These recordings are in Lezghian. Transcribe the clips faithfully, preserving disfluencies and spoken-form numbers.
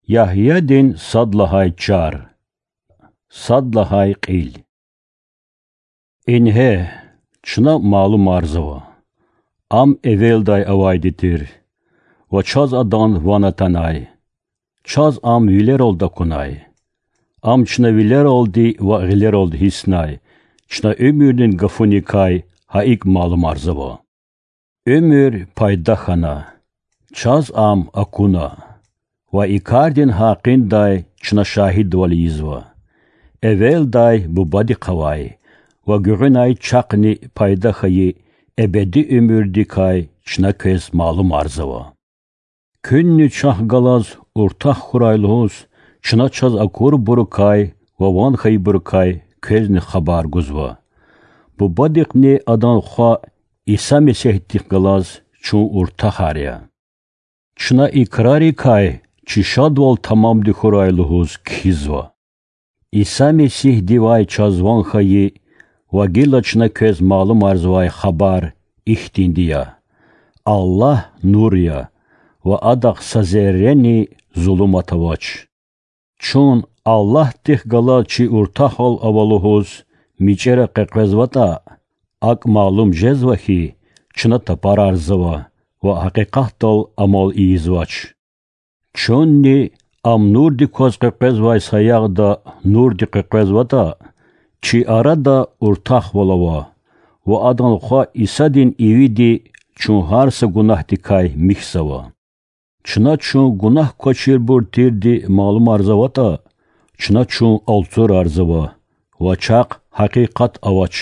Ягьядин сад лагьай чар, сад лагьай кьил. Ингье, чна малумарзава: Ам эвелдай авайди тир, ва чаз Адан ван атанай. Чаз Ам вилералди акунай. Ам чна вилералди ва гъилералди гьисснай, чна уьмуьрдин гафуникай гьа икӀ малумарзава. Уьмуьр пайда хьана, чаз Ам акуна, ва и кардин гьакъиндай чна шагьидвал ийизва. Эвелдай Бубадихъ авай ва гуьгъуьнай чахъни пайда хьайи эбеди уьмуьрдикай чна квез малумарзава. Куьнни чахъ галаз уртах хьурай лугьуз, чна чаз акурбурукай ва ван хьайибурукай квезни хабар гузва. Бубадихъни Адан Хва Иса Месигьдихъ галаз чун уртахар я. Чна и крарикай чи шадвал тамамди хьурай лугьуз кхьизва. Иса Месигьдивай чаз ван хьайи ва гила чна квез малумарзавай хабар ихьтинди я: Аллагь нур я, ва Адахъ са зеррени зулумат авач. Чун Аллагьдихъ галаз чи уртахвал ава лугьуз мичӀера къекъвезватӀа, акӀ малум жезва хьи, чна тапарарзава ва гьакъикъатдал амал ийизвач. Чунни ам нурдик кваз къекъвезвай саягъда нурди къекъвезватӀа, чи арада уртахвал ава, ва Адан Хва Исадин ивиди чун гьар са гунагьдикай михьзава. Чна чун гунагь квачирбур тирди малумарзаватӀа, чна чун алцурарзава ва чахъ гьакъикъат авач.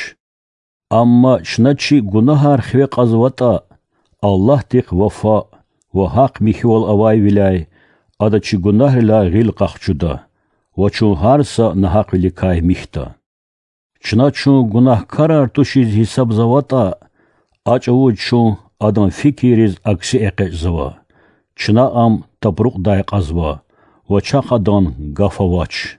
Амма чна чи гунагьар хиве кьазватӀа, Аллагьдихъ вафа ва гьахъ михьивал авайвиляй Ада чи гунагьрилай гъил къахчуда ва чун гьар са нагьахъвиликай михьда. Чна чун гунагькарар тушиз гьисабзаватӀа, а чӀавуз чун Адан фикирриз акси экъечӀзава, чна Ам тапрукьдай кьазва ва чахъ Адан гаф авач.